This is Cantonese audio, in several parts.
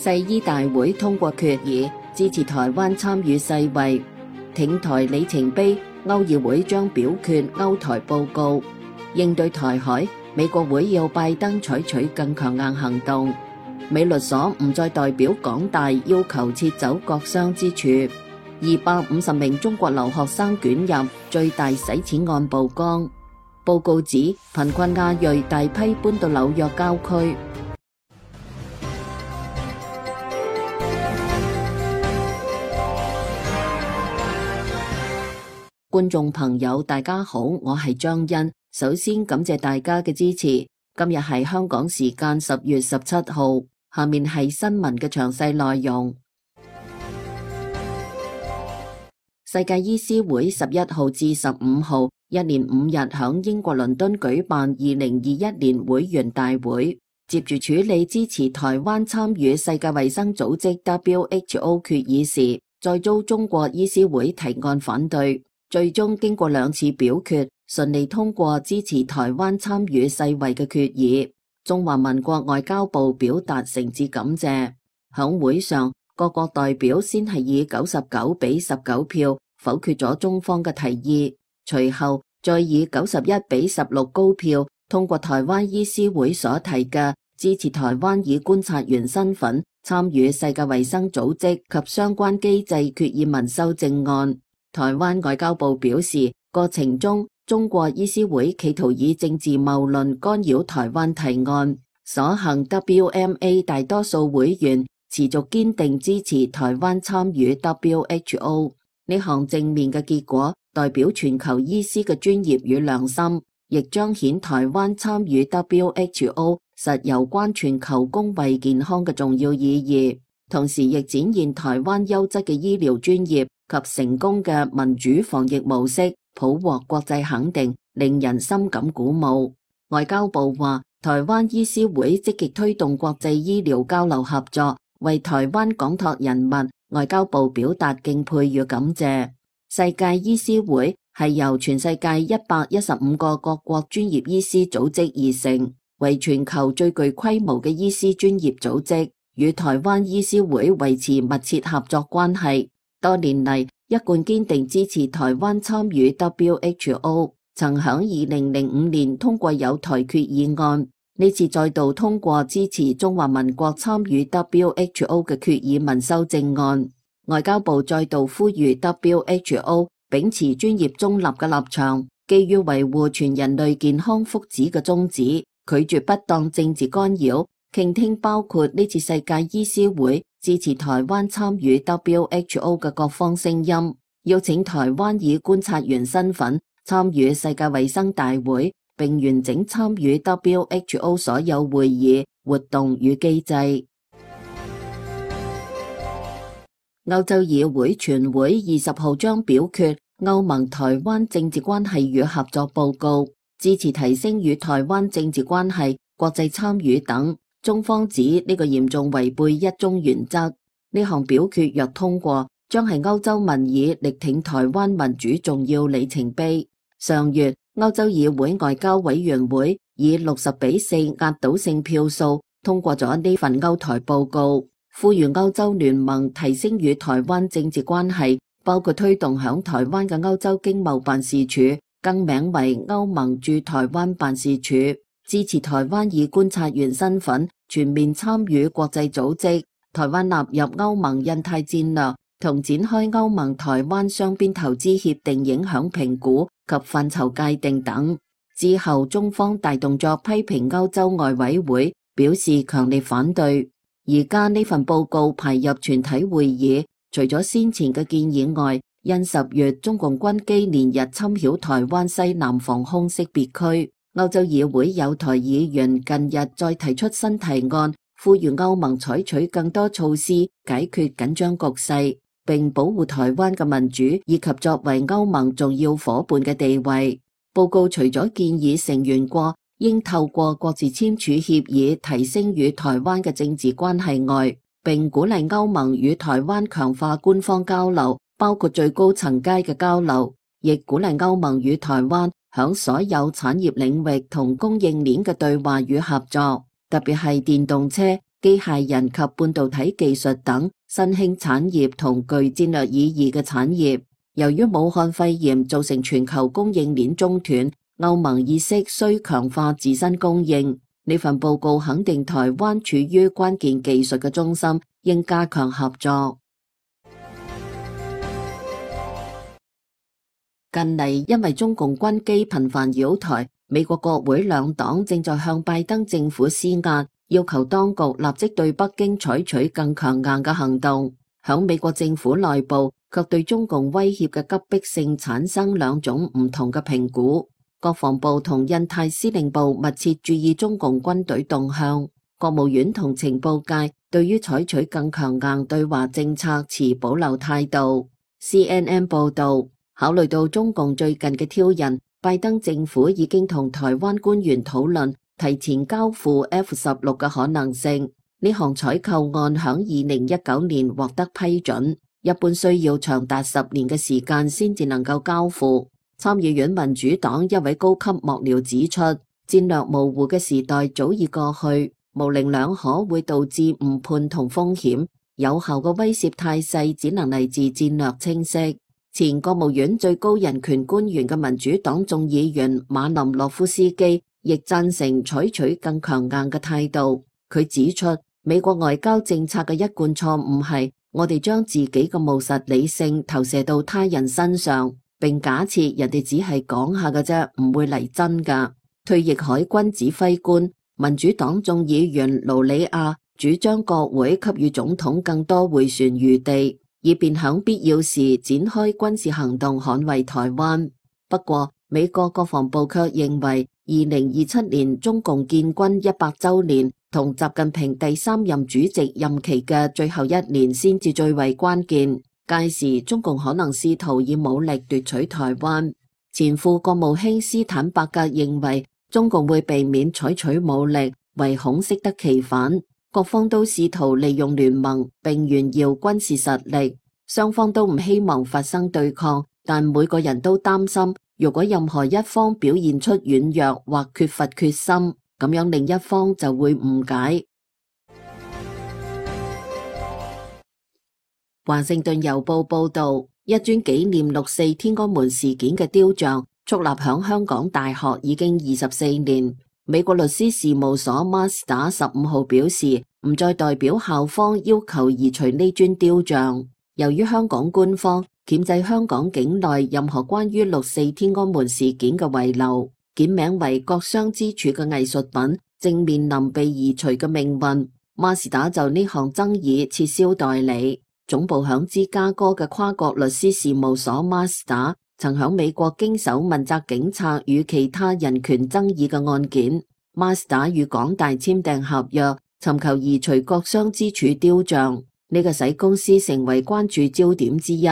世醫大會通過決議，支持台灣參與世衛挺台里程碑。歐議會將表決歐台報告。應對台海，美國會要拜登採取更強硬行動。美律所唔再代表港大要求撤走國殤之柱。250名中國留學生捲入最大洗錢案曝光。報告指貧困亞裔大批搬到紐約郊區。觀眾朋友大家好，我係張欣。首先感謝大家嘅支持。今日係香港時間10月17號，下面係新聞嘅詳細內容。世界醫師會11號至15號一連5日響英國倫敦舉辦2021年會員大會，接住處理支持台灣參與世界衛生組織 WHO 決議時，再遭中國醫師會提案反對。最終經過2次表決，順利通過支持台灣參與世衛嘅決議。中華民國外交部表達誠摯感謝。響會上，各國代表先係以99比19票否決咗中方嘅提議，隨後再以91比16高票通過台灣醫師會所提嘅支持台灣以觀察員身份參與世界衛生組織及相關機制決議文修正案。台灣外交部表示，過程中中國醫師會企圖以政治謬論干擾台灣提案，所幸 WMA 大多數會員持續堅定支持台灣參與 WHO。呢項正面嘅結果代表全球醫師嘅專業與良心，亦彰顯台灣參與 WHO 實有關全球公衛健康嘅重要意義，同時亦展現台灣優質嘅醫療專業及成功嘅民主防疫模式，普獲國際肯定，令人深感鼓舞。外交部話，台灣醫師會積極推動國際醫療交流合作，為台灣廣託人物，外交部表達敬佩與感謝。世界醫師會係由全世界115個各國專業醫師組織而成，為全球最具規模嘅醫師專業組織，與台灣醫師會維持密切合作關係。多年嚟，一貫堅定支持台灣參與 WHO， 曾響2005年通過有台決議案，呢次再度通過支持中華民國參與 WHO 嘅決議文修正案。外交部再度呼籲 WHO 秉持專業中立嘅立場，基於維護全人類健康福祉嘅宗旨，拒絕不當政治干擾，傾聽包括呢次世界醫師會支持台灣參與 WHO 嘅各方聲音，邀請台灣以觀察員身份參與世界衛生大會，並完整參與 WHO 所有會議、活動與機制。歐洲議會全會20號將表決歐盟台灣政治關係與合作報告，支持提升與台灣政治關係、國際參與等。中方指呢個嚴重違背一中原則，呢項表決若通過，將係歐洲民意力挺台灣民主重要里程碑。上月，歐洲議會外交委員會以60比4壓倒性票數通過咗呢份歐台報告，呼籲歐洲聯盟提升與台灣政治關係，包括推動響台灣嘅歐洲經貿辦事處更名為歐盟駐台灣辦事處，支持台灣以觀察員身份全面參與國際組織，台灣納入歐盟印太戰略，同展開歐盟台灣雙邊投資協定影響評估及範疇界定等。之後，中方大動作批評歐洲外委會，表示強烈反對。而家呢份報告排入全體會議，除咗先前嘅建議外，因10月中共軍機連日侵擾台灣西南防空識別區，歐洲議會有台議員近日再提出新提案，呼籲歐盟採取更多措施解決緊張局勢，並保護台灣嘅民主以及作為歐盟重要夥伴嘅地位。報告除咗建議成員國應透過各自簽署協議提升與台灣嘅政治關係外，並鼓勵歐盟與台灣強化官方交流，包括最高層階嘅交流，亦鼓勵歐盟與台灣響所有產業領域同供應鏈嘅對話與合作，特別係電動車、機械人及半導體技術等新興產業同具戰略意義嘅產業。由於武漢肺炎造成全球供應鏈中斷，歐盟意識需強化自身供應。呢份報告肯定台灣處於關鍵技術嘅中心，應加強合作。近嚟因為中共軍機頻繁擾台，美國國會兩黨正在向拜登政府施壓，要求當局立即對北京採取更強硬嘅行動。響美國政府內部，卻對中共威脅嘅急迫性產生兩種唔同嘅評估。國防部同印太司令部密切注意中共軍隊動向，國務院同情報界對於採取更強硬對華政策持保留態度。CNN 報道，考慮到中共最近嘅挑釁，拜登政府已經同台灣官員討論提前交付 F-16嘅可能性。呢項採購案響2019年獲得批准，一般需要長達10年嘅時間先至能夠交付。參議院民主黨一位高級幕僚指出，戰略模糊嘅時代早已過去，模棱兩可會導致誤判同風險，有效嘅威懾態勢只能嚟自戰略清晰。前國務院最高人權官員嘅民主黨眾議員馬林諾夫斯基亦贊成採取更強硬嘅態度。佢指出，美國外交政策嘅一貫錯誤係，我哋將自己嘅務實理性投射到他人身上，並假設人哋只係講下嘅啫，唔會嚟真㗎。退役海軍指揮官、民主黨眾議員盧里亞主張國會給予總統更多迴旋餘地，以便響必要時展開軍事行動捍衛台灣。不過，美國國防部卻認為，2027年中共建軍100週年同習近平第3任主席任期嘅最後一年先至最為關鍵。屆時，中共可能試圖以武力奪取台灣。前副國務卿斯坦伯格認為，中共會避免採取武力，唯恐適得其反。各方都試圖利用聯盟並炫耀軍事實力，雙方都唔希望發生對抗，但每個人都擔心，如果任何一方表現出軟弱或缺乏決心，咁樣另一方就會誤解。華盛頓郵報報道，一尊紀念6·4天安門事件嘅雕像矗立響香港大學已經24年。美國律師事務所 Mazda 15號表示，唔再代表校方要求移除呢尊雕像。由於香港官方鉗制香港境內任何關於6·4天安門事件嘅遺留，檢名為國殤之柱嘅藝術品正面臨被移除嘅命運。Mazda 就呢項爭議撤銷代理。總部響芝加哥嘅跨國律師事務所 Mazda 曾響美國經手問責警察與其他人權爭議嘅案件。Mazda 與港大簽訂合約，尋求移除國殤之柱雕像，呢個使公司成為關注焦點之一。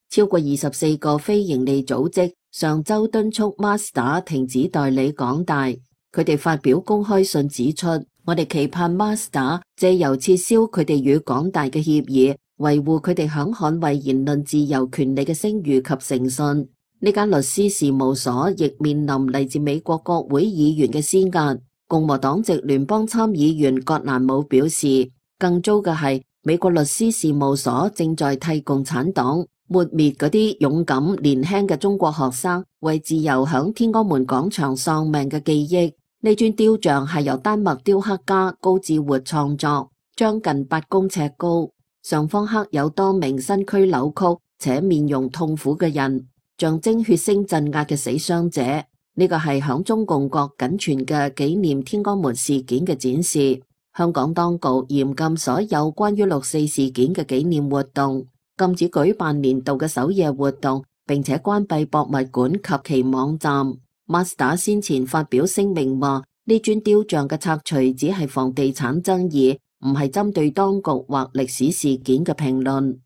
超過24個非營利組織上周敦促 Mazda 停止代理港大。佢哋發表公開信指出，我哋期盼 Mazda 借由撤銷佢哋與港大嘅協議，維護佢哋響捍衛言論自由權利嘅聲譽及誠信。呢間律師事務所亦面臨嚟自美國國會議員嘅施壓。共和黨籍聯邦參議員葛蘭姆表示，更糟嘅係美國律師事務所正在替共產黨抹滅嗰啲勇敢年輕嘅中國學生為自由響天安門廣場喪命嘅記憶。呢尊雕像係由丹麥雕刻家高志活創作，將近8公尺高，上方刻有多名身軀扭曲且面容痛苦嘅人，象徵血腥鎮壓嘅死傷者。呢個係響中共國僅存嘅紀念天安門事件嘅展示。香港當局嚴禁所有關於6·4事件嘅紀念活動，禁止舉辦年度嘅首夜活動，並且關閉博物館及其網站。Mazda 先前發表聲明話，呢尊雕像嘅拆除只係房地產爭議，唔係針對當局或歷史事件嘅評論。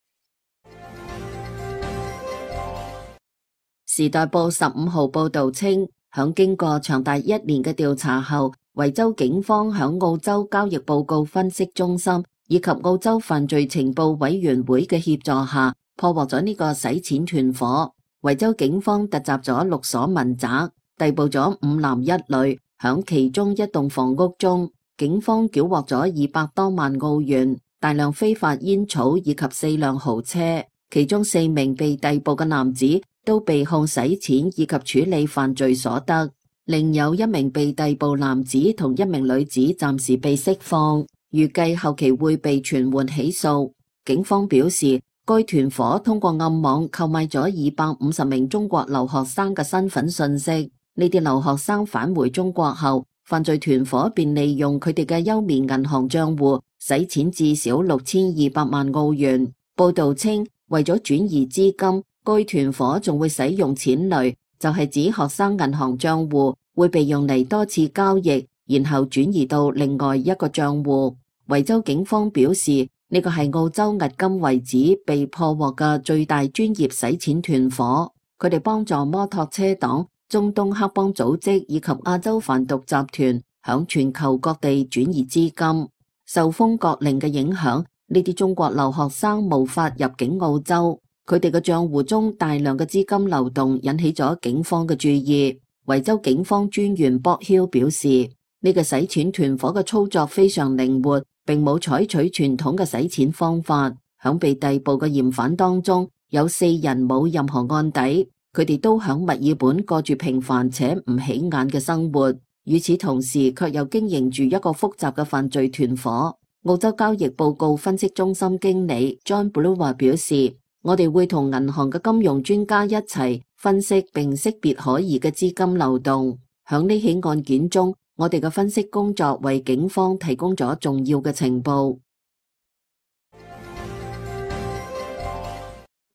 時代報15號報道稱，響經過長達1年嘅調查後，維州警方響澳洲交易報告分析中心以及澳洲犯罪情報委員會嘅協助下，破獲咗呢個洗錢團伙。維州警方突襲咗6所民宅，逮捕咗5男1女，響其中一棟房屋中，警方繳獲咗200多萬澳元、大量非法煙草以及4輛豪車，其中4名被逮捕嘅男子都被控洗錢以及處理犯罪所得，另有1名被逮捕男子同1名女子暫時被釋放，預計後期會被傳喚起訴。警方表示，該團夥通過暗網購買咗250名中國留學生嘅身份信息，呢啲留學生返回中國後，犯罪團夥便利用佢哋嘅優棉銀行賬戶洗錢至少6200萬澳元。報道稱，為咗轉移資金，該團夥仲會使用錢雷，就係指學生銀行賬戶會被用嚟多次交易，然後轉移到另外一個賬戶。維州警方表示，呢個係澳洲迄今為止被破獲嘅最大專業洗錢團夥，佢哋幫助摩托車黨、中東黑幫組織以及亞洲販毒集團響全球各地轉移資金。受封國令嘅影響，呢啲中國留學生無法入境澳洲，佢哋嘅賬戶中大量嘅資金流動引起咗警方嘅注意。維州警方專員博曉表示，呢個洗錢團夥嘅操作非常靈活，並冇採取傳統嘅洗錢方法。響被逮捕嘅嫌犯當中，有4人冇任何案底，佢哋都響墨爾本過住平凡且唔起眼嘅生活。與此同時，卻又經營住一個複雜嘅犯罪團夥。澳洲交易報告分析中心經理 John Brewer 表示，我哋會同銀行嘅金融專家一齊分析並識別可疑嘅資金流動。響呢起案件中，我哋嘅分析工作為警方提供咗重要嘅情報。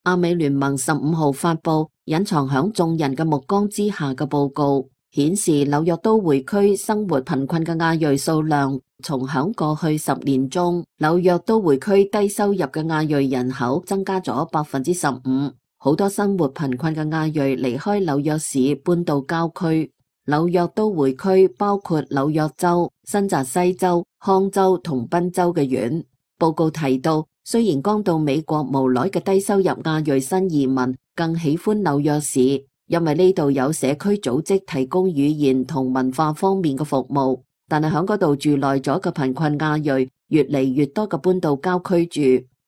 亞美聯盟15號發佈隱藏響眾人嘅目光之下嘅報告，顯示紐約都會區生活貧困嘅亞裔數量從響過去10年中，紐約都會區低收入嘅亞裔人口增加咗15%，好多生活貧困嘅亞裔離開紐約市搬到郊區。紐約都會區包括紐約州、新澤西州、康州同賓州嘅縣。報告提到，雖然剛到美國無耐嘅低收入亞裔新移民更喜歡紐約市，因為呢度有社區組織提供語言同文化方面嘅服務，但係響嗰度住耐咗嘅貧困亞裔越嚟越多嘅搬到郊區住，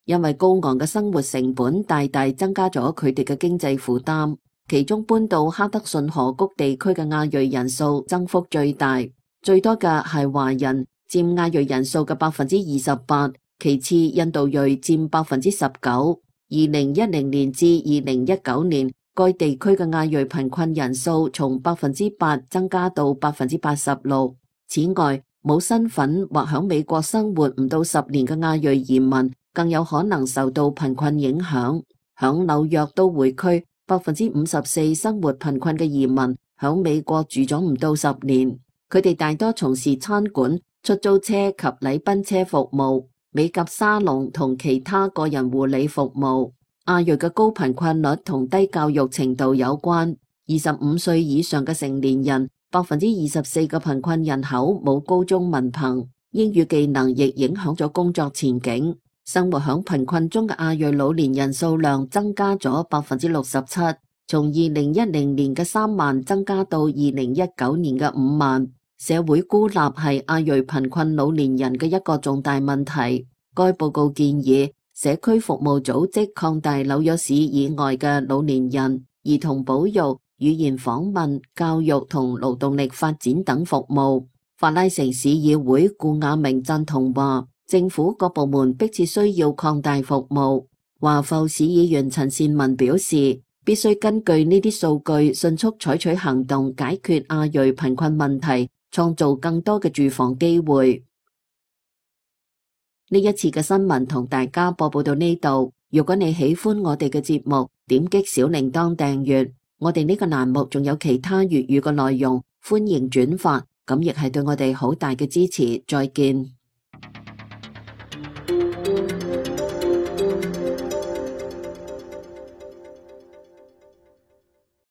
因為高昂嘅生活成本大大增加咗佢哋嘅經濟負擔。其中搬到哈德遜河谷地區嘅亞裔人數增幅最大，最多嘅係華人，佔亞裔人數嘅28%，其次印度裔佔19%。2010年至2019年，該地區嘅亞裔貧困人數從8%增加到86%。此外，冇身份或響美國生活唔到10年嘅亞裔移民，更有可能受到貧困影響。響紐約都會區，54%生活貧困嘅移民響美國住咗唔到10年，佢哋大多從事餐館、出租車及禮賓車服務、美甲沙龍同其他個人護理服務。亞裔嘅高貧困率同低教育程度有關，25歲以上嘅成年人，24%嘅貧困人口冇高中文憑，英語技能亦影響咗工作前景。生活響貧困中嘅亞裔老年人數量增加咗67%，從2010年嘅3萬增加到2019年嘅5萬。社會孤立係亞裔貧困老年人嘅一個重大問題。該報告建議社區服務組織擴大紐約市以外嘅老年人、兒童保育、語言訪問、教育同勞動力發展等服務。法拉盛市議會顧亞明贊同話，政府各部門迫切需要擴大服務。華埠市議員陳善文表示，必須根據呢啲數據迅速採取行動，解決亞裔貧困問題，創造更多嘅住房機會。呢一次嘅新聞同大家播報到呢度。如果你喜歡我哋嘅節目，點擊小鈴鐺訂閱。我哋呢個欄目仲有其他粵語嘅內容，歡迎轉發，咁亦係對我哋好大嘅支持。再見。